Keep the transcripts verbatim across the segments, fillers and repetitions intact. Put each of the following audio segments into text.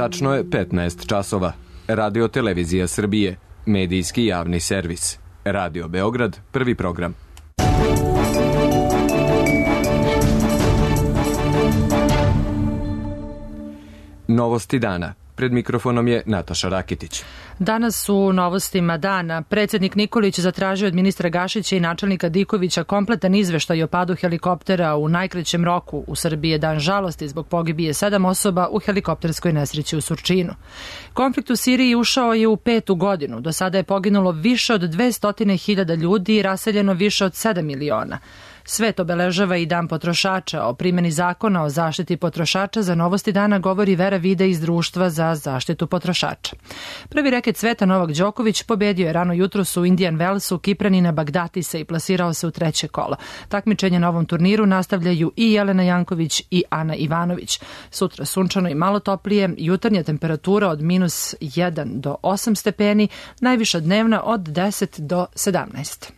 Tačno je petnaest časova. Radio Televizija Srbije, medijski javni servis. Radio Beograd, prvi program. Novosti dana. Pred mikrofonom je Nataša Rakitić. Danas u novostima dana predsjednik Nikolić zatražio od ministra Gašića i načelnika Dikovića kompletan izveštaj o padu helikoptera u najkraćem roku. U Srbiji je dan žalosti zbog pogibije sedam osoba u helikopterskoj nesreći u Surčinu. Konflikt u Siriji ušao je u petu godinu. Do sada je poginulo više od dvesta hiljada ljudi i raseljeno više od sedam miliona. Svet obeležava i Dan potrošača. O primjeni zakona o zaštiti potrošača za Novosti dana govori Vera Vide iz Društva za zaštitu potrošača. Prvi reket sveta Novak Đoković pobedio je rano jutros u Indian Wellsu Kipranina Bagdatisa i plasirao se u treće kolo. Takmičenje na ovom turniru nastavljaju i Jelena Janković i Ana Ivanović. Sutra sunčano i malo toplije, jutarnja temperatura od minus jedan do osam stepeni, najviša dnevna od deset do sedamnaest.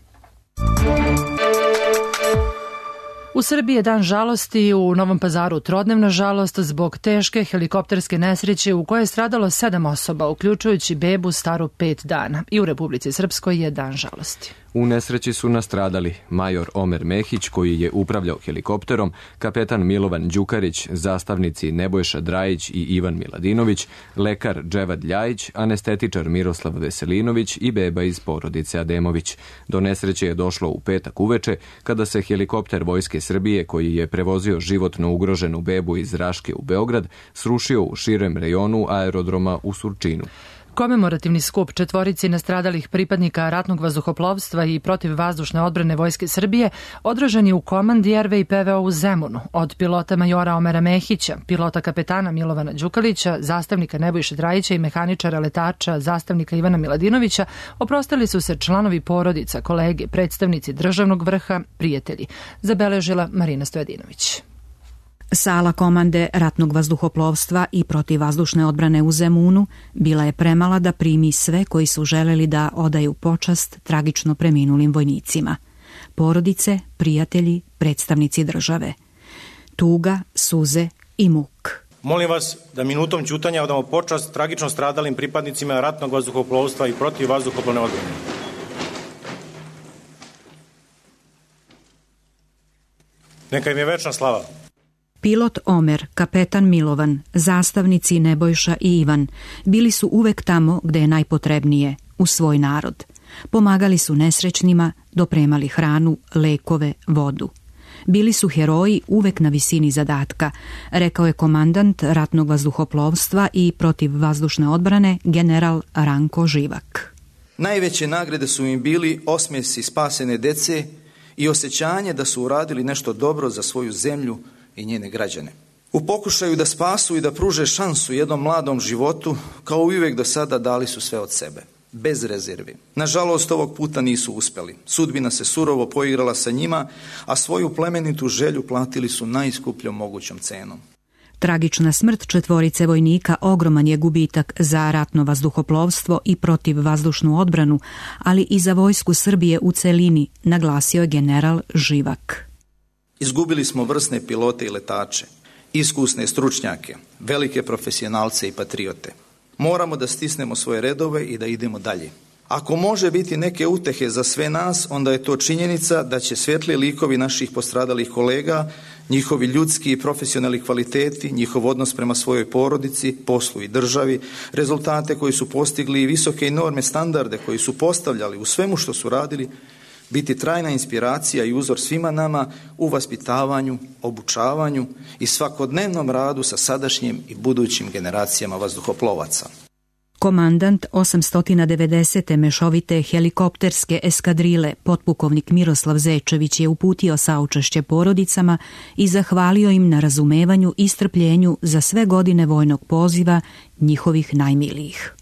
U Srbiji je dan žalosti, u Novom Pazaru trodnevna žalost zbog teške helikopterske nesreće u kojoj je stradalo sedam osoba, uključujući bebu staru pet dana. I u Republici Srpskoj je dan žalosti. U nesreći su nastradali major Omer Mehić, koji je upravljao helikopterom, kapetan Milovan Đukarić, zastavnici Nebojša Drajić i Ivan Miladinović, lekar Dževad Ljajić, anestetičar Miroslav Veselinović i beba iz porodice Ademović. Do nesreće je došlo u petak uveče, kada se helikopter Vojske Srbije, koji je prevozio životno ugroženu bebu iz Raške u Beograd, srušio u širem rejonu aerodroma u Surčinu. Komemorativni skup četvorici nastradalih pripadnika ratnog vazduhoplovstva i protivvazdušne odbrane Vojske Srbije održan je u komandi er ve i pe ve o u Zemunu. Od pilota majora Omera Mehića, pilota kapetana Milovana Đukalića, zastavnika Nebojše Drajića i mehaničara letača zastavnika Ivana Miladinovića oprostili su se članovi porodica, kolege, predstavnici državnog vrha, prijatelji, zabeležila Marina Stojadinović. Sala komande ratnog vazduhoplovstva i protivvazdušne odbrane u Zemunu bila je premala da primi sve koji su želeli da odaju počast tragično preminulim vojnicima. Porodice, prijatelji, predstavnici države. Tuga, suze i muk. Molim vas da minutom ćutanja odamo počast tragično stradalim pripadnicima ratnog vazduhoplovstva i protivvazduhoplovne odbrane. Neka im je večna slava. Pilot Omer, kapetan Milovan, zastavnici Nebojša i Ivan bili su uvek tamo gde je najpotrebnije, u svoj narod. Pomagali su nesrećnima, dopremali hranu, lekove, vodu. Bili su heroji uvek na visini zadatka, rekao je komandant ratnog vazduhoplovstva i protivvazdušne odbrane general Ranko Živak. Najveće nagrade su im bili osmesi spasene dece i osjećanje da su uradili nešto dobro za svoju zemlju i njene građane. U pokušaju da spasu i da pruže šansu jednom mladom životu, kao i uvijek do sada dali su sve od sebe, bez rezervi. Nažalost, ovog puta nisu uspeli. Sudbina se surovo poigrala sa njima, a svoju plemenitu želju platili su najskupljom mogućom cenom. Tragična smrt četvorice vojnika ogroman je gubitak za ratno vazduhoplovstvo i protivvazdušnu odbranu, ali i za vojsku Srbije u celini, naglasio je general Živak. Izgubili smo vrsne pilote i letače, iskusne stručnjake, velike profesionalce i patriote. Moramo da stisnemo svoje redove i da idemo dalje. Ako može biti neke utehe za sve nas, onda je to činjenica da će svetli likovi naših postradalih kolega, njihovi ljudski i profesionalni kvaliteti, njihov odnos prema svojoj porodici, poslu i državi, rezultate koji su postigli i visoke norme standarde koji su postavljali u svemu što su radili, biti trajna inspiracija i uzor svima nama u vaspitavanju, obučavanju i svakodnevnom radu sa sadašnjim i budućim generacijama vazduhoplovaca. Komandant osamsto devedesete mešovite helikopterske eskadrile, potpukovnik Miroslav Zečević, je uputio saučešće porodicama i zahvalio im na razumevanju i strpljenju za sve godine vojnog poziva njihovih najmilijih.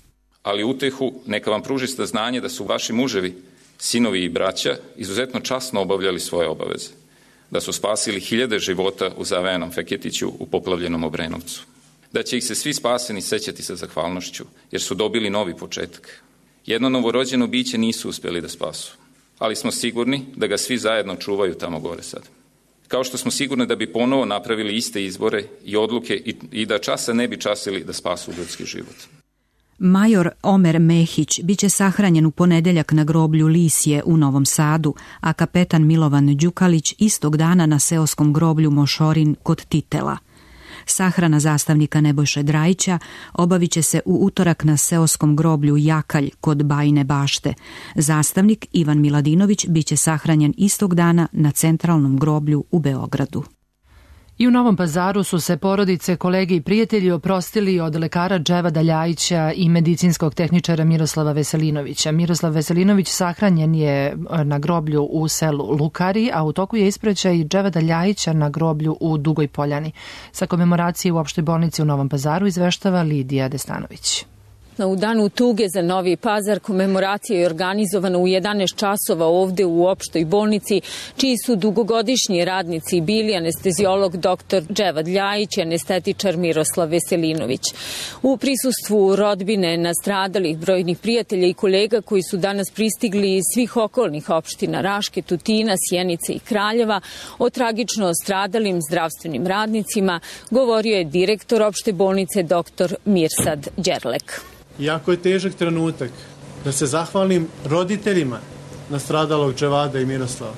Ali utehu neka vam pruži saznanje da su vaši muževi, sinovi i braća izuzetno časno obavljali svoje obaveze, da su spasili hiljade života u Zavejanom Feketiću u poplavljenom Obrenovcu, da će ih se svi spaseni sećati sa zahvalnošću, jer su dobili novi početak. Jedno novorođeno biće nisu uspjeli da spasu, ali smo sigurni da ga svi zajedno čuvaju tamo gore sad. kao što smo sigurni da bi ponovo napravili iste izbore i odluke i, i da časa ne bi časili da spasu ljudski život. Major Omer Mehić biće sahranjen u ponedeljak na groblju Lisje u Novom Sadu, a kapetan Milovan Đukalić istog dana na seoskom groblju Mošorin kod Titela. Sahrana zastavnika Nebojše Drajića obavit će se u utorak na seoskom groblju Jakalj kod Bajine Bašte. Zastavnik Ivan Miladinović biće sahranjen istog dana na centralnom groblju u Beogradu. I u Novom Pazaru su se porodice, kolege i prijatelji oprostili od lekara Dževada Ljajića i medicinskog tehničara Miroslava Veselinovića. Miroslav Veselinović sahranjen je na groblju u selu Lukari, a u toku je ispraćaj Dževada Ljajića na groblju u Dugoj Poljani. Sa komemoracije u opštoj bolnici u Novom Pazaru izveštava Lidija Destanović. U danu tuge za Novi Pazar komemoracija je organizovana u jedanaest časova ovde u opštoj bolnici, čiji su dugogodišnji radnici bili anesteziolog doktor Dževad Ljajić i anestetičar Miroslav Veselinović. U prisustvu rodbine nastradalih, brojnih prijatelja i kolega koji su danas pristigli iz svih okolnih opština Raške, Tutina, Sjenice i Kraljeva, o tragično stradalim zdravstvenim radnicima govorio je direktor opšte bolnice doktor Mirsad Đerlek. Jako je težak trenutak da se zahvalim roditeljima nastradalog Dževada i Miroslava,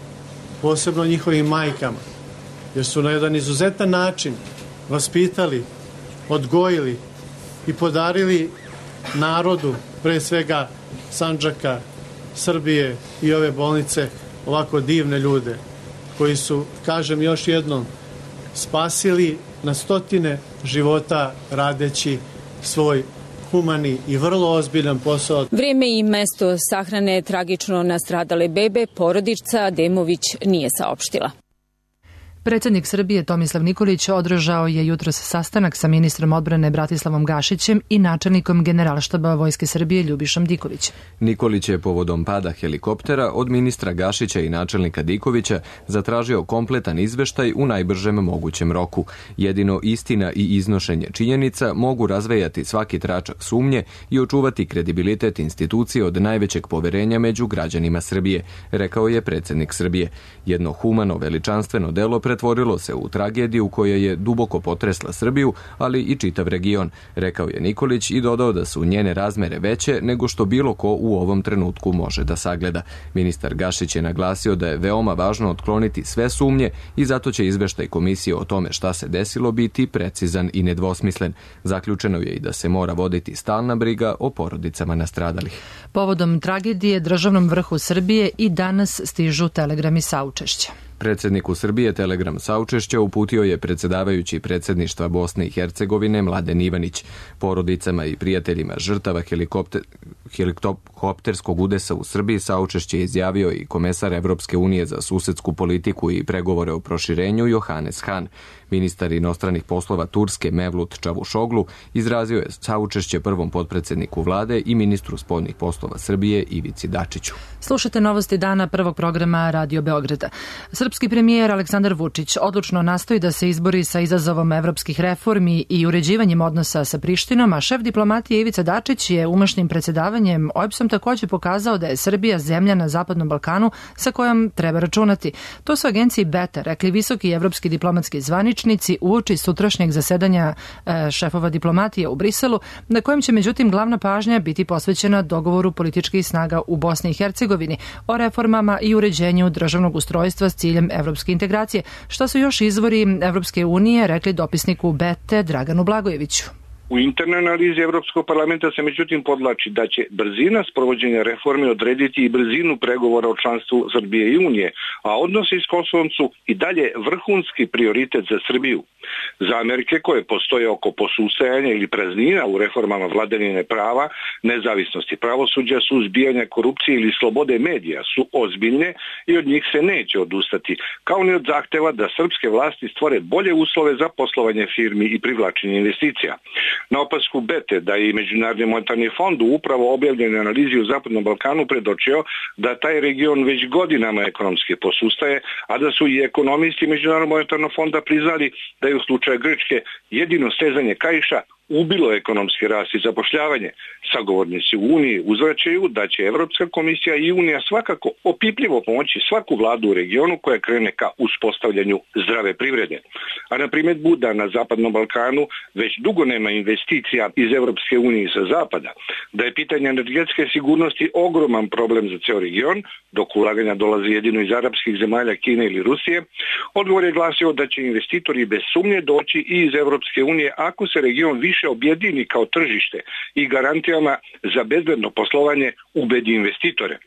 posebno njihovim majkama, jer su na jedan izuzetan način vaspitali, odgojili i podarili narodu, pre svega Sandžaka, Srbije i ove bolnice, ovako divne ljude koji su, kažem još jednom, spasili na stotine života radeći svoj humani i vrlo ozbiljan posao. Vreme i mesto sahrane tragično nastradale bebe porodica Ademović nije saopštila. Predsjednik Srbije Tomislav Nikolić održao je jutros sastanak sa ministrom odbrane Bratislavom Gašićem i načelnikom Generalštaba Vojske Srbije Ljubišom Dikovićem. Nikolić je povodom pada helikoptera od ministra Gašića i načelnika Dikovića zatražio kompletan izveštaj u najbržem mogućem roku. Jedino istina i iznošenje činjenica mogu razvejati svaki tračak sumnje i očuvati kredibilitet institucije od najvećeg poverenja među građanima Srbije, rekao je predsjednik Srbije. Jedno humano, veličanstveno delo pretvorilo se u tragediju koja je duboko potresla Srbiju, ali i čitav region, rekao je Nikolić i dodao da su njene razmere veće nego što bilo ko u ovom trenutku može da sagleda. Ministar Gašić je naglasio da je veoma važno otkloniti sve sumnje i zato će izveštaj komisije o tome šta se desilo biti precizan i nedvosmislen. Zaključeno je i da se mora voditi stalna briga o porodicama nastradalih. Povodom tragedije državnom vrhu Srbije i danas stižu telegrami saučešća. Predsjedniku Srbije telegram saučešća uputio je predsjedavajući predsjedništva Bosne i Hercegovine Mladen Ivanić. Porodicama i prijateljima žrtava helikopter, helikopterskog udesa u Srbiji saučešće izjavio i komesar Evropske unije za susedsku politiku i pregovore o proširenju Johannes Hahn. Ministar inostranih poslova Turske Mevlut Čavuşoglu izrazio je saučešće prvom potpredsjedniku vlade i ministru spoljnih poslova Srbije Ivici Dačiću. Slušate novosti dana prvog programa Radio Beograda. Srpski premijer Aleksandar Vučić odlučno nastoji da se izbori sa izazovom evropskih reformi i uređivanjem odnosa sa Prištinom, a šef diplomatije Ivica Dačić je umašnim predsjedavanjem O E B S-om također pokazao da je Srbija zemlja na Zapadnom Balkanu sa kojom treba računati. To su agenciji Beta rekli visoki evropski diplomatski zvaničnici uoči sutrašnjeg zasedanja e, šefova diplomatije u Briselu, na kojem će međutim glavna pažnja biti posvećena dogovoru političkih snaga u Bosni i Hercegovini o reformama i uređenju državnog ustrojstva s ciljem evropske integracije, što su još izvori Evropske unije rekli dopisniku Bete Draganu Blagojeviću. U internoj analizi Evropskog parlamenta se međutim podlači da će brzina sprovođenja reforme odrediti i brzinu pregovora o članstvu Srbije i Unije, a odnosi s Kosovom su i dalje vrhunski prioritet za Srbiju. Zamerke koje postoje oko posustajanja ili praznina u reformama vladavine prava, nezavisnosti pravosuđa, suzbijanja korupcije ili slobode medija su ozbiljne i od njih se neće odustati, kao ni od zahteva da srpske vlasti stvore bolje uslove za poslovanje firmi i privlačenje investicija. Na opasku Bete da i Međunarodni monetarni fond u upravo objavljenoj analizi u Zapadnom Balkanu predočio da taj region već godinama ekonomski posustaje, a da su i ekonomisti Međunarodnog monetarnog fonda priznali da je u slučaju Grčke jedino stezanje kaiša ubilo ekonomski rast i zapošljavanje. Sagovornici u Uniji uzvraćaju da će Evropska komisija i Unija svakako opipljivo pomoći svaku vladu u regionu koja krene ka uspostavljanju zdrave privrede. A na primjedbu da na Zapadnom Balkanu već dugo nema investicija iz Evropske unije sa zapada, da je pitanje energetske sigurnosti ogroman problem za ceo region, dok ulaganja dolaze jedino iz arapskih zemalja, Kine ili Rusije, odgovor je glasio da će investitori bez sumnje doći i iz Evropske unije ako se region više objedini kao tržište i garantijama za bezbedno poslovanje ubedi investitore.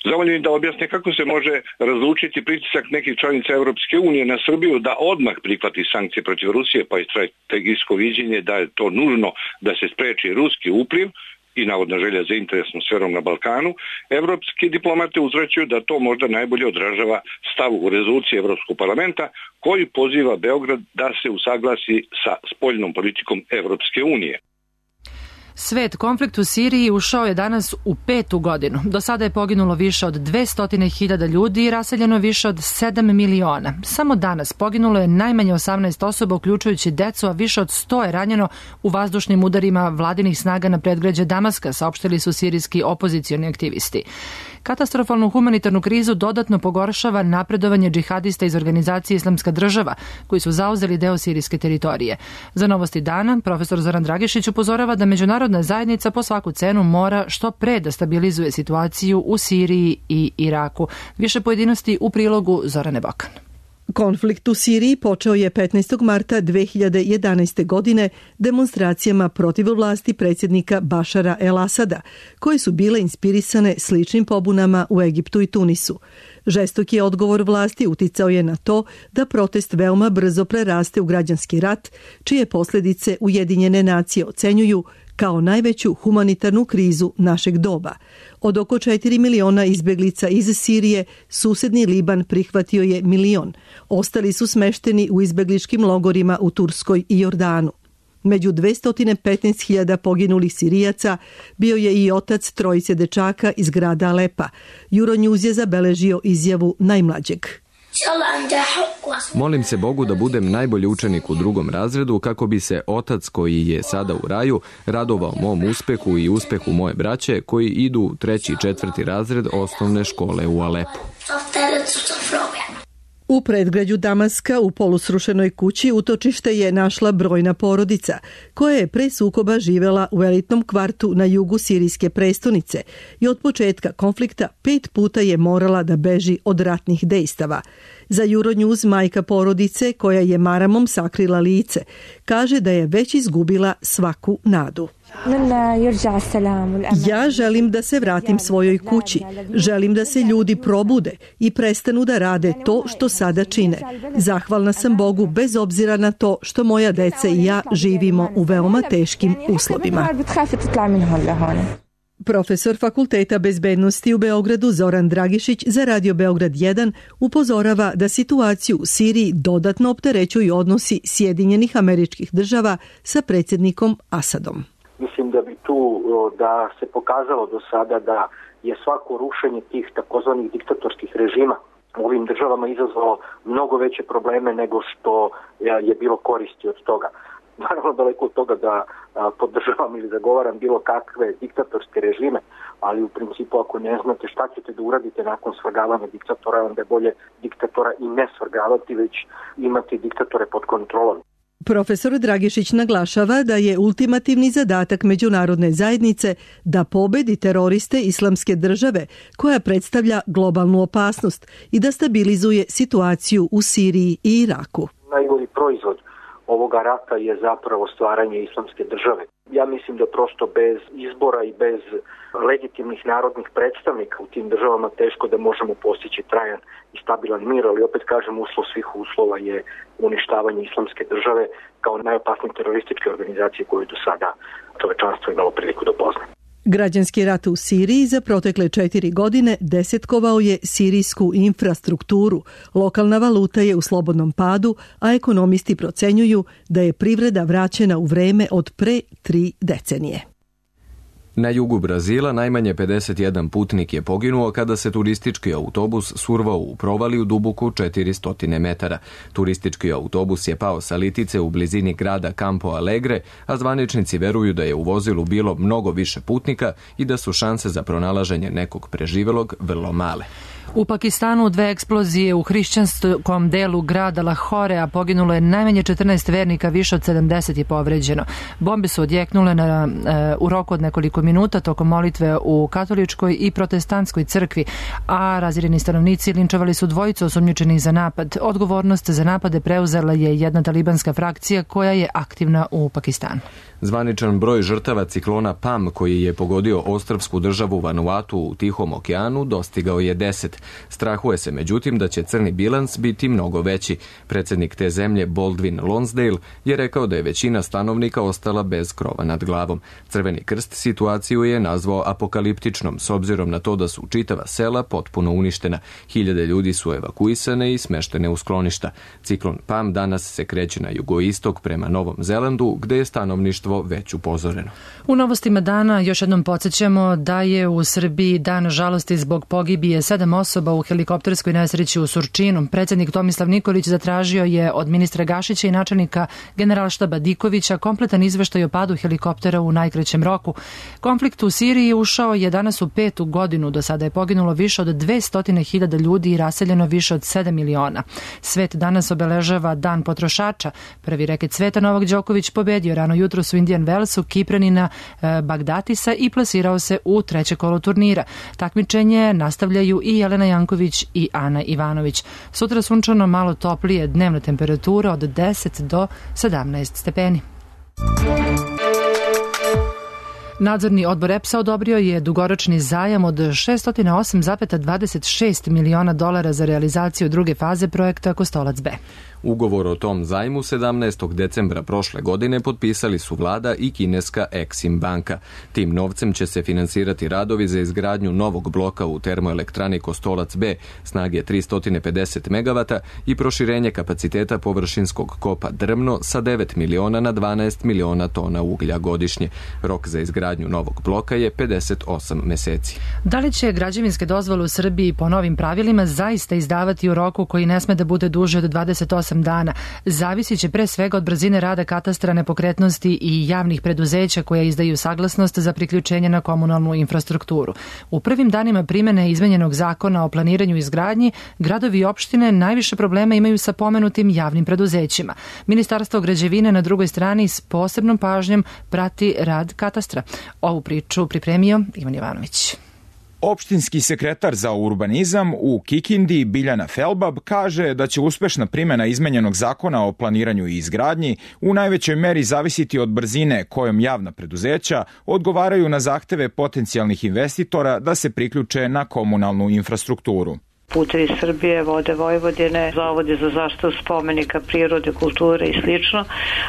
Zamoljeni da objasne kako se može razlučiti pritisak nekih članica Evropske unije na Srbiju da odmah prihvati sankcije protiv Rusije, pa i strategijsko viđenje da je to nužno da se spreči ruski upliv i navodna želja za interesnom sferom na Balkanu. Evropski diplomate uzvraćaju da to možda najbolje odražava stav u rezoluciji Evropskog parlamenta koji poziva Beograd da se usaglasi sa spoljnom politikom Evropske unije. Svet, konflikt u Siriji ušao je danas u petu godinu. Do sada je poginulo više od dvesta hiljada ljudi i raseljeno više od sedam miliona. Samo danas poginulo je najmanje osamnaest osoba, uključujući decu, a više od sto je ranjeno u vazdušnim udarima vladinih snaga na predgrađe Damaska, saopštili su sirijski opozicioni aktivisti. Katastrofalnu humanitarnu krizu dodatno pogoršava napredovanje džihadista iz organizacije Islamska država, koji su zauzeli deo sirijske teritorije. Za Novosti dana, profesor Zoran Dragišić upozorava da međunarodna zajednica po svaku cenu mora što pre da stabilizuje situaciju u Siriji i Iraku. Više pojedinosti u prilogu Zorane Bokan. Konflikt u Siriji počeo je petnaestog marta dve hiljade jedanaeste. godine demonstracijama protiv vlasti predsjednika Bašara el-Asada, koje su bile inspirisane sličnim pobunama u Egiptu i Tunisu. Žestoki odgovor vlasti uticao je na to da protest veoma brzo preraste u građanski rat, čije posljedice Ujedinjene nacije ocenjuju kao najveću humanitarnu krizu našeg doba. Od oko četiri miliona izbjeglica iz Sirije, susedni Liban prihvatio je milion. Ostali su smešteni u izbjegličkim logorima u Turskoj i Jordanu. Među dvesta petnaest hiljada poginulih Sirijaca bio je i otac trojice dečaka iz grada Alepa. Euronews je zabeležio izjavu najmlađeg. Molim se Bogu da budem najbolji učenik u drugom razredu kako bi se otac koji je sada u raju radovao mom uspehu i uspehu moje braće koji idu u treći i četvrti razred osnovne škole u Alepu. U predgrađu Damaska u polusrušenoj kući utočište je našla brojna porodica koja je pre sukoba živela u elitnom kvartu na jugu sirijske prestonice i od početka konflikta pet puta je morala da beži od ratnih dejstava. Za Euronews majka porodice koja je maramom sakrila lice kaže da je već izgubila svaku nadu. Ja želim da se vratim svojoj kući. Želim da se ljudi probude i prestanu da rade to što sada čine. Zahvalna sam Bogu bez obzira na to što moja deca i ja živimo u veoma teškim uslovima. Profesor Fakulteta bezbednosti u Beogradu Zoran Dragišić za Radio Beograd jedan upozorava da situaciju u Siriji dodatno opterećuju odnosi Sjedinjenih Američkih Država sa predsjednikom Asadom. Mislim da bi tu da se pokazalo do sada da je svako rušenje tih takozvanih diktatorskih režima u ovim državama izazvalo mnogo veće probleme nego što je bilo koristi od toga. Naravno, daleko od toga da podržavam ili zagovaram bilo kakve diktatorske režime, ali u principu ako ne znate šta ćete da uradite nakon svrgavanja diktatora, onda je bolje diktatora i ne svrgavati, već imati diktatore pod kontrolom. Profesor Dragišić naglašava da je ultimativni zadatak međunarodne zajednice da pobedi teroriste Islamske države koja predstavlja globalnu opasnost i da stabilizuje situaciju u Siriji i Iraku. Najgori proizvod ovoga rata je zapravo stvaranje Islamske države. Ja mislim da prosto bez izbora i bez legitimnih narodnih predstavnika u tim državama teško da možemo postići trajan i stabilan mir, ali opet kažem, uslov svih uslova je uništavanje Islamske države kao najopasnije terorističke organizacije koju do sada čovečanstvo imalo priliku da pozna. Građanski rat u Siriji za protekle četiri godine desetkovao je sirijsku infrastrukturu. Lokalna valuta je u slobodnom padu, a ekonomisti procenjuju da je privreda vraćena u vreme od pre tri decenije. Na jugu Brazila najmanje pedeset jedan putnik je poginuo kada se turistički autobus survao u provaliju duboku četiristo metara. Turistički autobus je pao sa litice u blizini grada Campo Alegre, a zvaničnici veruju da je u vozilu bilo mnogo više putnika i da su šanse za pronalaženje nekog preživelog vrlo male. U Pakistanu dve eksplozije u hrišćanskom delu grada Lahore, a poginulo je najmanje četrnaest vernika, više od sedamdeset je povređeno. Bombe su odjeknule na, e, u roku od nekoliko minuta tokom molitve u katoličkoj i protestantskoj crkvi, a razireni stanovnici linčovali su dvojicu osumnjičenih za napad. Odgovornost za napade preuzela je jedna talibanska frakcija koja je aktivna u Pakistanu. Zvaničan broj žrtava ciklona Pam koji je pogodio ostrvsku državu Vanuatu u Tihom okeanu dostigao je deset. Strahuje se međutim da će crni bilans biti mnogo veći. Predsjednik te zemlje Baldwin Lonsdale je rekao da je većina stanovnika ostala bez krova nad glavom. Crveni krst situaciju je nazvao apokaliptičnom s obzirom na to da su čitava sela potpuno uništena. Hiljade ljudi su evakuisane i smeštene u skloništa. Ciklon Pam danas se kreće na jugoistok prema Novom Zelandu gde je stanovništvo već upozoreno. U novostima dana još jednom podsjećamo da je u Srbiji dan žalosti zbog pogibije sedam osoba u helikopterskoj nesreći u Surčinu. Predsjednik Tomislav Nikolić zatražio je od ministra Gašića i načelnika Generalštaba Dikovića kompletan izveštaj o padu helikoptera u najkraćem roku. Konflikt u Siriji ušao je danas u petu godinu. Do sada je poginulo više od dvesta hiljada ljudi i raseljeno više od sedam miliona. Svet danas obeležava Dan potrošača. Prvi reket sveta Novak Đoković pobedio rano jutro u Indian Wellsu Kipranina e, Bagdatisa i plasirao se u treće kolo turnira. Takmičenje nastavljaju i Jelena Janković i Ana Ivanović. Sutra sunčano, malo toplije, dnevna temperatura od deset do sedamnaest stepeni. Nadzorni odbor E P S-a odobrio je dugoročni zajam od šessto osam zarez dvadeset šest miliona dolara za realizaciju druge faze projekta Kostolac B. Ugovor o tom zajmu sedamnaestog decembra prošle godine potpisali su vlada i kineska Exim banka. Tim novcem će se finansirati radovi za izgradnju novog bloka u termoelektrani Kostolac B snage tristo pedeset megavata i proširenje kapaciteta površinskog kopa Drmno sa devet miliona na dvanaest miliona tona uglja godišnje. Rok za izgradnju novog bloka je pedeset osam meseci. Da li će građevinske dozvole u Srbiji po novim pravilima zaista izdavati u roku koji ne sme da bude duže od dvadeset osam dana? Zavisit će pre svega od brzine rada katastra nepokretnosti i javnih preduzeća koja izdaju saglasnost za priključenje na komunalnu infrastrukturu. U prvim danima primene izmenjenog zakona o planiranju i izgradnji, gradovi i opštine najviše problema imaju sa pomenutim javnim preduzećima. Ministarstvo građevine na drugoj strani s posebnom pažnjom prati rad katastra. Ovu priču pripremio Ivan Jovanović. Opštinski sekretar za urbanizam u Kikindi, Biljana Felbab, kaže da će uspešna primjena izmenjenog zakona o planiranju i izgradnji u najvećoj meri zavisiti od brzine kojom javna preduzeća odgovaraju na zahteve potencijalnih investitora da se priključe na komunalnu infrastrukturu. Putevi Srbije, Vode Vojvodine, Zavodi za zaštitu spomenika prirode, kulture i slično,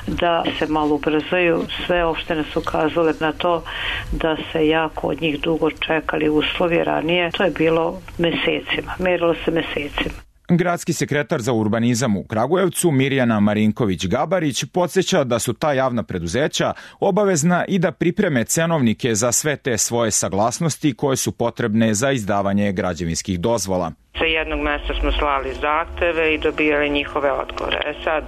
da se malo ubrzaju. Sve opštine su ukazale na to da se jako od njih dugo čekali uslovi ranije. To je bilo mesecima, merilo se mesecima. Gradski sekretar za urbanizam u Kragujevcu, Mirjana Marinković-Gabarić, podsjeća da su ta javna preduzeća obavezna i da pripreme cenovnike za sve te svoje saglasnosti koje su potrebne za izdavanje građevinskih dozvola. Sa jednog mesta smo slali zahteve i dobijali njihove odgovore. E sad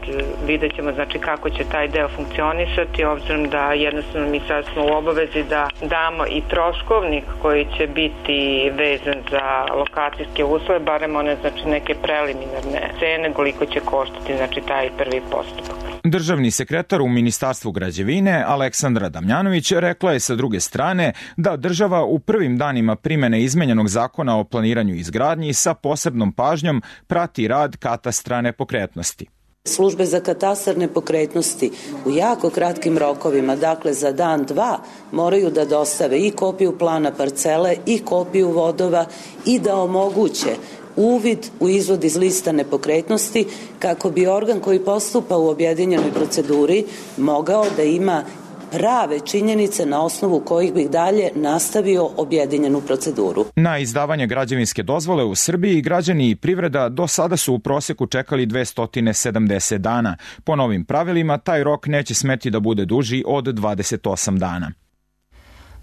vidjet ćemo znači kako će taj deo funkcionisati, obzirom da jednostavno mi sad smo u obavezi da damo i troškovnik koji će biti vezan za lokacijske uslove, barem one znači neke preliminarne cene, koliko će koštati znači taj prvi postupak. Državni sekretar u Ministarstvu građevine Aleksandra Damjanović rekla je sa druge strane da država u prvim danima primene izmenjenog zakona o planiranju i izgradnji sa posebnom pažnjom prati rad katastra nepokretnosti. Službe za katastar nepokretnosti u jako kratkim rokovima, dakle za dan, dva, moraju da dostave i kopiju plana parcele i kopiju vodova i da omoguće uvid u izvod iz lista nepokretnosti kako bi organ koji postupa u objedinjenoj proceduri mogao da ima prave činjenice na osnovu kojih bih dalje nastavio objedinjenu proceduru. Na izdavanje građevinske dozvole u Srbiji građani i privreda do sada su u proseku čekali dvesta sedamdeset dana. Po novim pravilima taj rok neće smeti da bude duži od dvadeset osam dana.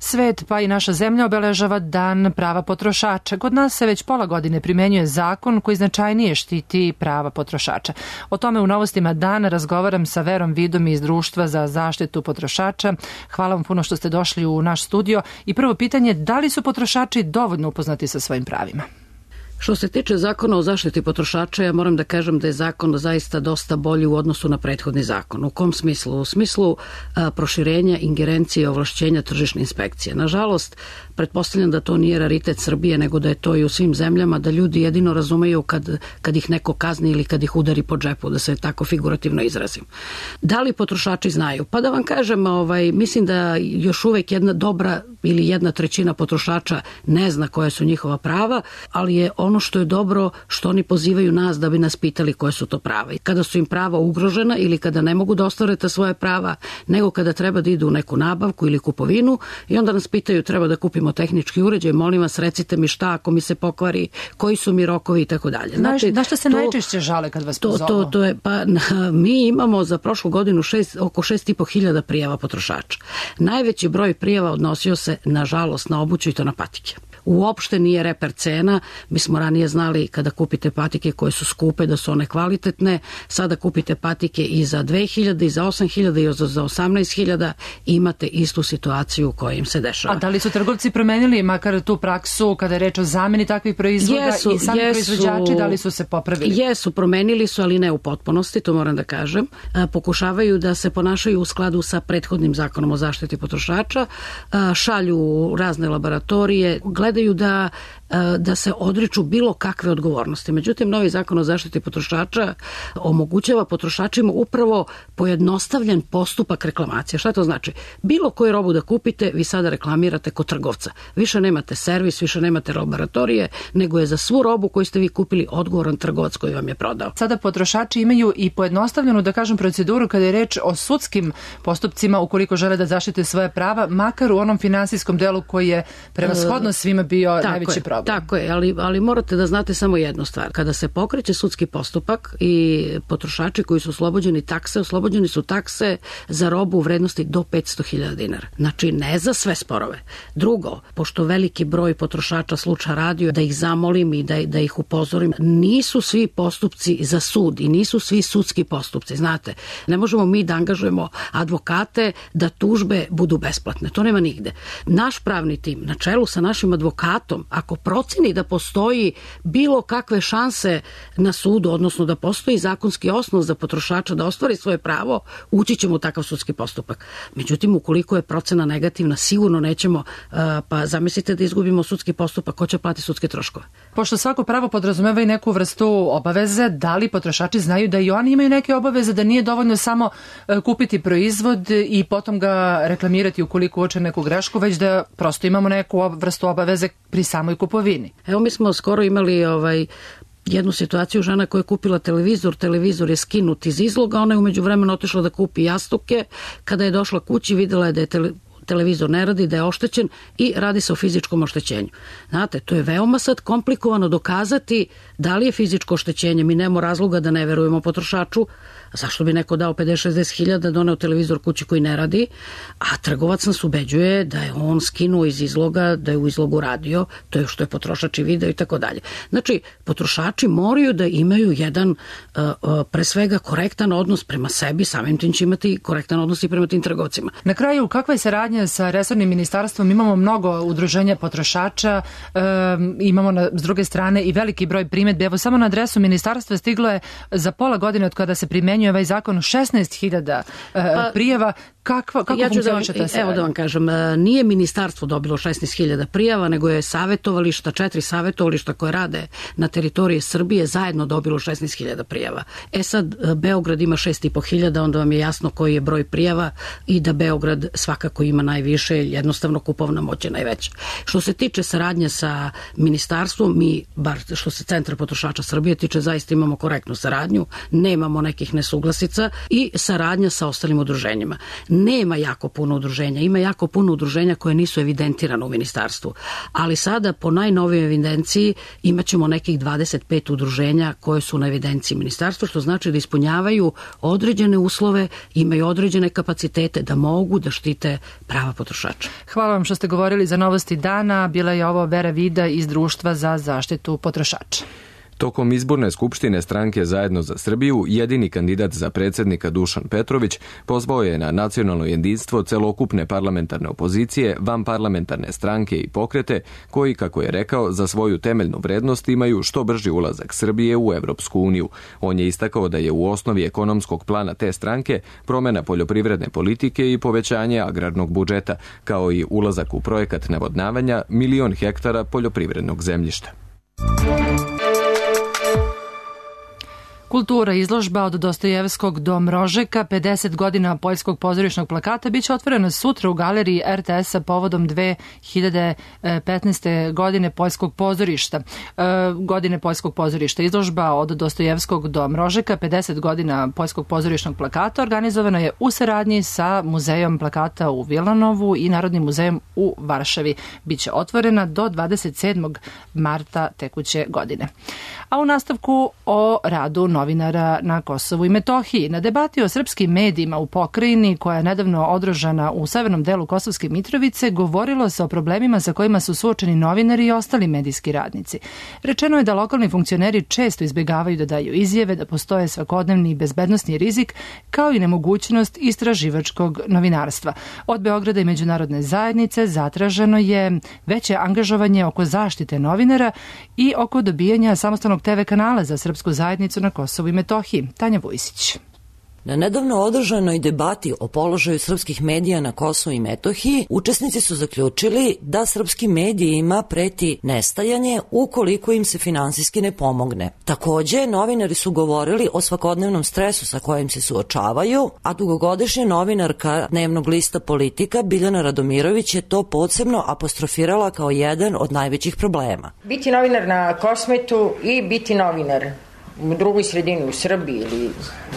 Svet pa i naša zemlja obeležava Dan prava potrošača. Kod nas se već pola godine primenjuje zakon koji značajnije štiti prava potrošača. O tome u novostima dana razgovaram sa Verom Vidom iz Društva za zaštitu potrošača. Hvala vam puno što ste došli u naš studio. I prvo pitanje, da li su potrošači dovoljno upoznati sa svojim pravima? Što se tiče zakona o zaštiti potrošača, ja moram da kažem da je zakon zaista dosta bolji u odnosu na prethodni zakon. U kom smislu? U smislu a, proširenja ingerencije i ovlašćenja tržišne inspekcije. Nažalost, pretpostavljam da to nije raritet Srbije, nego da je to i u svim zemljama, da ljudi jedino razumeju kad, kad ih neko kazni ili kad ih udari po džepu, da se tako figurativno izrazim. Da li potrošači znaju? Pa da vam kažem, ovaj, mislim da još uvek jedna dobra ili jedna trećina potrošača ne zna koje su njihova prava, ali je ono što je dobro što oni pozivaju nas da bi nas pitali koje su to prava. I kada su im prava ugrožena ili kada ne mogu da ostvare ta svoje prava, nego kada treba da idu u neku nabavku ili kupovinu i onda nas pitaju treba da kupimo tehnički uređaj, molim vas recite mi šta ako mi se pokvari, koji su mi rokovi i tako dalje. Znači, na što se to, najčešće žale kad vas pozovu? To, to, to je, pa, mi imamo za prošlu godinu šest, oko šest i po hiljada prijava potrošača. Najveći broj prijava odnosio se, nažalost, na obuću i to na patike. Uopšte nije reper cena. Mi smo ranije znali kada kupite patike koje su skupe da su one kvalitetne. Sada kupite patike i za dve hiljade, i za osam hiljada, i za osamnaest hiljada i imate istu situaciju koja im se dešava. A da li su trgovci promenili makar tu praksu kada je reč o zameni takvih proizvoda jesu, i sami jesu, proizvođači, da li su se popravili? Jesu, promenili su, ali ne u potpunosti, to moram da kažem. Pokušavaju da se ponašaju u skladu sa prethodnim zakonom o zaštiti potrošača, šalju razne laboratorije, gledaju da, da se odriču bilo kakve odgovornosti. Međutim, novi zakon o zaštiti potrošača omogućava potrošačima upravo pojednostavljen postupak reklamacije. Šta to znači? Bilo koju robu da kupite, vi sada reklamirate kod trgovca. Više nemate servis, više nemate laboratorije, nego je za svu robu koju ste vi kupili odgovoran trgovac koji vam je prodao. Sada potrošači imaju i pojednostavljenu, da kažem, proceduru kada je reč o sudskim postupcima ukoliko žele da zaštite svoje prava, makar u onom finansijskom delu koji je prevashodno svima bio tako najveći je, problem. Tako je, ali, ali morate da znate samo jednu stvar. Kada se pokreće sudski postupak i potrošači koji su oslobođeni takse, oslobođeni su takse za robu u vrednosti do petsto hiljada dinara. Znači, ne za sve sporove. Drugo, pošto veliki broj potrošača sluča radio, da ih zamolim i da, da ih upozorim, nisu svi postupci za sud i nisu svi sudski postupci. Znate, ne možemo mi da angažujemo advokate da tužbe budu besplatne. To nema nigde. Naš pravni tim, na čelu sa našim advokatom, ako proceni da postoji bilo kakve šanse na sudu, odnosno da postoji zakonski osnov za potrošača da ostvari svoje pravo, ući ćemo u takav sudski postupak. Međutim, ukoliko je procena negativna, sigurno nećemo, pa zamislite da izgubimo sudski postupak, ko će platiti sudske troškove? Pošto svako pravo podrazumeva i neku vrstu obaveze, da li potrošači znaju da i oni imaju neke obaveze, da nije dovoljno samo kupiti proizvod i potom ga reklamirati ukoliko uoče neku grešku, već da prosto imamo neku vrstu obaveze pri samoj kupovini? Evo, mi smo skoro imali ovaj jednu situaciju, žena koja je kupila televizor, televizor je skinut iz izloga, ona je umeđu vremenu otišla da kupi jastuke, kada je došla kući videla je da je tele, televizor ne radi, da je oštećen i radi se o fizičkom oštećenju. Znate, to je veoma sad komplikovano dokazati da li je fizičko oštećenje. Mi nemamo razloga da ne verujemo potrošaču. Zašto bi neko dao pedeset šezdeset hiljada, doneo televizor kući koji ne radi, a trgovac nas ubeđuje da je on skinuo iz izloga, da je u izlogu radio, to je što je potrošač i video i tako dalje. Znači, potrošači moraju da imaju jedan uh, uh, pre svega korektan odnos prema sebi, samim tim će imati korektan odnos i prema tim trgovcima. Na kraju, kakva je saradnja sa resornim ministarstvom? Imamo mnogo udruženja potrošača, um, imamo na, s druge strane i veliki broj primedbi. Evo, samo na adresu ministarstva stiglo je za pola godine od kada se primenjuje ovaj zakon šesnaest hiljada uh, pa, prijava. Kakva, kako ja funkcioniše ta saradnja? Evo da vam kažem, nije ministarstvo dobilo šesnaest hiljada prijava, nego je savjetovališta, četiri savjetovališta koje rade na teritoriji Srbije zajedno dobilo šesnaest hiljada prijava. E sad, Beograd ima šest i po hiljada, onda vam je jasno koji je broj prijava i da Beograd svakako ima najviše, jednostavno kupovna moć je najveća. Što se tiče saradnje sa ministarstvom, mi, bar što se Centra potrošača Srbije tiče, zaista imamo korektnu saradnju, nemamo nekih nesuglasica i saradnja sa ostalim udruženjima. nema jako puno udruženja, ima jako puno udruženja koje nisu evidentirane u ministarstvu, ali sada po najnovijoj evidenciji imaćemo nekih dvadeset pet udruženja koje su na evidenciji ministarstva, što znači da ispunjavaju određene uslove, imaju određene kapacitete da mogu da štite prava potrošača. Hvala vam što ste govorili za Novosti dana. Bila je ovo Vera Vida iz Društva za zaštitu potrošača. Tokom izborne skupštine stranke Zajedno za Srbiju, jedini kandidat za predsjednika Dušan Petrović pozvao je na nacionalno jedinstvo celokupne parlamentarne opozicije, vanparlamentarne stranke i pokrete, koji, kako je rekao, za svoju temeljnu vrednost imaju što brži ulazak Srbije u Evropsku uniju. On je istakao da je u osnovi ekonomskog plana te stranke promjena poljoprivredne politike i povećanje agrarnog budžeta, kao i ulazak u projekat navodnavanja milion hektara poljoprivrednog zemljišta. Kultura izložba od Dostojevskog do Mrožeka, pedeset godina poljskog pozorišnog plakata, biće otvorena sutra u galeriji er te es-a povodom dve hiljade petnaeste. godine poljskog pozorišta. Godine poljskog pozorišta. Izložba od Dostojevskog do Mrožeka, pedeset godina poljskog pozorišnog plakata, organizovana je u saradnji sa Muzejom plakata u Vilanovu i Narodnim muzejom u Varšavi. Biće otvorena do dvadeset sedmog marta tekuće godine. A u nastavku o radu novinara na Kosovu i Metohiji. Na debati o srpskim medijima u pokrajini, koja je nedavno održana u severnom delu Kosovske Mitrovice, govorilo se o problemima sa kojima su suočeni novinari i ostali medijski radnici. Rečeno je da lokalni funkcioneri često izbjegavaju da daju izjave, da postoje svakodnevni bezbednosni rizik, kao i nemogućnost istraživačkog novinarstva. Od Beograda i međunarodne zajednice zatraženo je veće angažovanje oko zaštite novinara i oko dobijanja samostalnog te ve kanala za srpsku zajednicu na Kosovu i Metohiji. Tanja Vujsić. Na nedavno održanoj debati o položaju srpskih medija na Kosovu i Metohiji, učesnici su zaključili da srpskim medijima preti nestajanje ukoliko im se finansijski ne pomogne. Takođe, novinari su govorili o svakodnevnom stresu sa kojim se suočavaju, a dugogodišnja novinarka dnevnog lista Politika Biljana Radomirović je to posebno apostrofirala kao jedan od najvećih problema. Biti novinar na Kosmetu i biti novinar u drugoj sredini, u Srbiji ili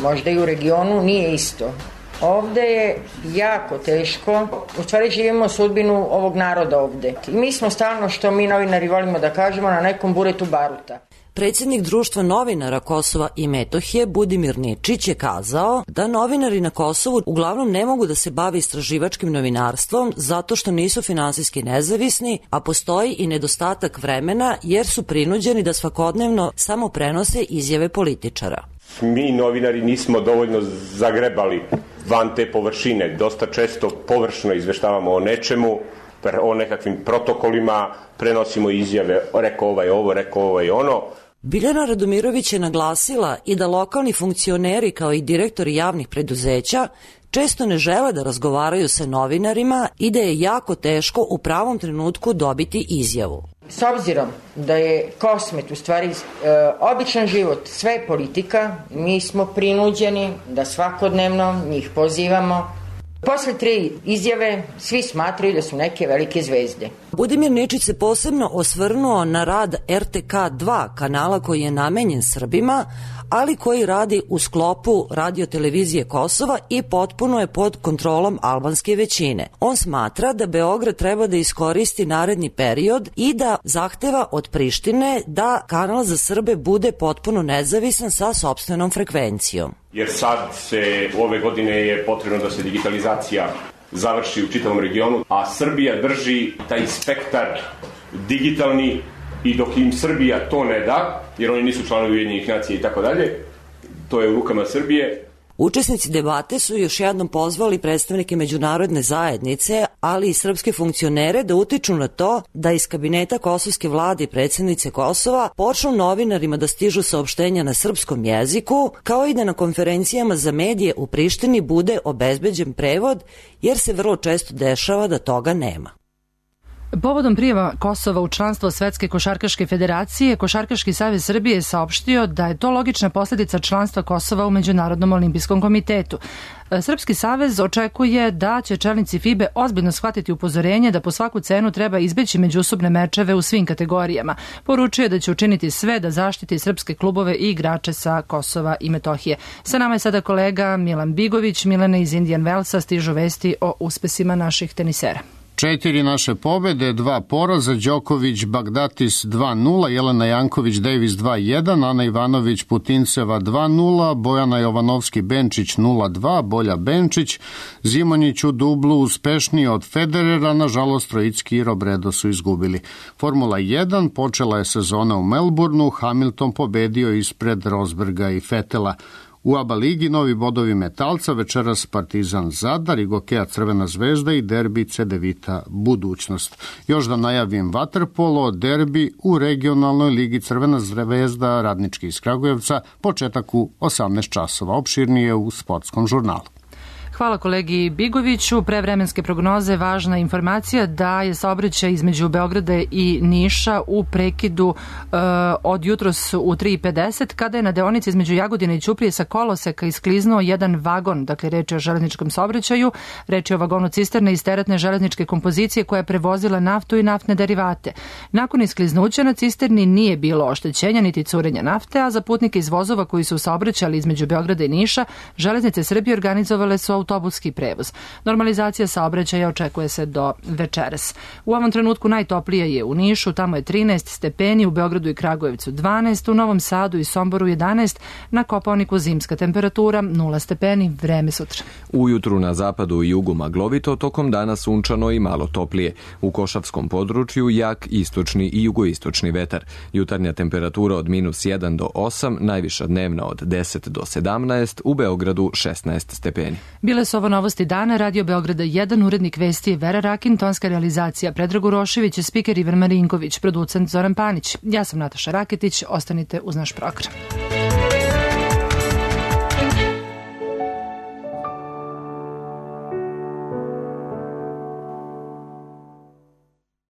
možda i u regionu, nije isto. Ovde je jako teško, u stvari živimo sudbinu ovog naroda ovde. I mi smo stalno, što mi novinari volimo da kažemo, na nekom buretu baruta. Predsjednik Društva novinara Kosova i Metohije Budimir Ničić je kazao da novinari na Kosovu uglavnom ne mogu da se bave istraživačkim novinarstvom zato što nisu finansijski nezavisni, a postoji i nedostatak vremena jer su prinuđeni da svakodnevno samo prenose izjave političara. Mi novinari nismo dovoljno zagrebali van te površine, dosta često površno izveštavamo o nečemu, o nekakvim protokolima, prenosimo izjave, rekao ovaj ovo, rekao ovaj ono. Biljana Radomirović je naglasila i da lokalni funkcioneri kao i direktori javnih preduzeća često ne žele da razgovaraju sa novinarima i da je jako teško u pravom trenutku dobiti izjavu. S obzirom da je Kosmet u stvari e, običan život, sve je politika, mi smo prinuđeni da svakodnevno njih pozivamo. Posle tri izjave svi smatraju da su neke velike zvezde. Budimir Ničić se posebno osvrnuo na rad er te ka dva, kanala koji je namenjen Srbima, ali koji radi u sklopu radiotelevizije Kosova i potpuno je pod kontrolom albanske većine. On smatra da Beograd treba da iskoristi naredni period i da zahteva od Prištine da kanal za Srbe bude potpuno nezavisan sa sopstvenom frekvencijom. Jer sad se ove godine je potrebno da se digitalizacija završi u čitavom regionu, a Srbija drži taj spektar digitalni i dok im Srbija to ne da, jer oni nisu članovi Ujedinjenih nacija i tako dalje, to je u rukama Srbije. Učesnici debate su još jednom pozvali predstavnike međunarodne zajednice, ali i srpske funkcionere da utiču na to da iz kabineta kosovske vlade i predsjednice Kosova počnu novinarima da stižu saopštenja na srpskom jeziku, kao i da na konferencijama za medije u Prištini bude obezbeđen prevod, jer se vrlo često dešava da toga nema. Povodom prijema Kosova u članstvo Svetske košarkaške federacije, Košarkaški savez Srbije je saopštio da je to logična posljedica članstva Kosova u Međunarodnom olimpijskom komitetu. Srpski savez očekuje da će čelnici F I B E ozbiljno shvatiti upozorenje da po svaku cenu treba izbeći međusobne mečeve u svim kategorijama. Poručuje da će učiniti sve da zaštiti srpske klubove i igrače sa Kosova i Metohije. Sa nama je sada kolega Milan Bigović. Milane, iz Indian Wellsa stižu vesti o uspesima naših tenisera. Četiri naše pobede, dva poraza, Đoković, Bagdatis dva nula, Jelena Janković, Davis dva jedan, Ana Ivanović, Putinceva dva nula, Bojana Jovanovski, Benčić nula dva, Bolja Benčić, Zimonjić u dublu uspešniji od Federera, nažalost Trojicki i Robredo su izgubili. Formula jedan počela je sezona u Melbourneu, Hamilton pobedio ispred Rosberga i Fetela. U A B A ligi novi bodovi Metalca, večeras Partizan Zadar, Igokea Crvena zvezda i derbi Cedevita Budućnost. Još da najavim vaterpolo, derbi u regionalnoj ligi Crvena zvezda Radnički iz Kragujevca, početak u osamnaest časova, opširnije u sportskom žurnalu. Hvala kolegi Bigoviću. Pre vremenske prognoze važna informacija da je saobraćaj između Beograda i Niša u prekidu e, od jutros u tri i pedeset kada je na deonici između Jagodine i Ćuprije sa koloseka iskliznuo jedan vagon, dakle reč je o železničkom saobraćaju, reč je o vagonu cisterne iz teretne železničke kompozicije koja je prevozila naftu i naftne derivate. Nakon iskliznuća na cisterni nije bilo oštećenja niti curenja nafte, a za putnike iz vozova koji su saobraćali između Beograda i Niša, Železnice Srbije organizovale su autobuski prevoz. Normalizacija saobraćaja očekuje se do večeras. U ovom trenutku najtoplije je u Nišu, tamo je trinaest stepeni, u Beogradu i Kragujevcu dvanaest, u Novom Sadu i Somboru jedanaest, na Kopaoniku zimska temperatura nula stepeni, vreme sutra. Ujutru na zapadu i jugu maglovito, tokom dana sunčano i malo toplije. U Košavskom području jak istočni i jugoistočni vetar. Jutarnja temperatura od minus jedan do osam, najviša dnevna od deset do sedamnaest, u Beogradu šesnaest stepeni. Bile su ovo novosti dana, Radio Beograda jedan, urednik vesti je Vera Rakin, tonska realizacija Predrag Urošević, spiker Ivan Marinković, producent Zoran Panić. Ja sam Nataša Raketić, ostanite uz naš program.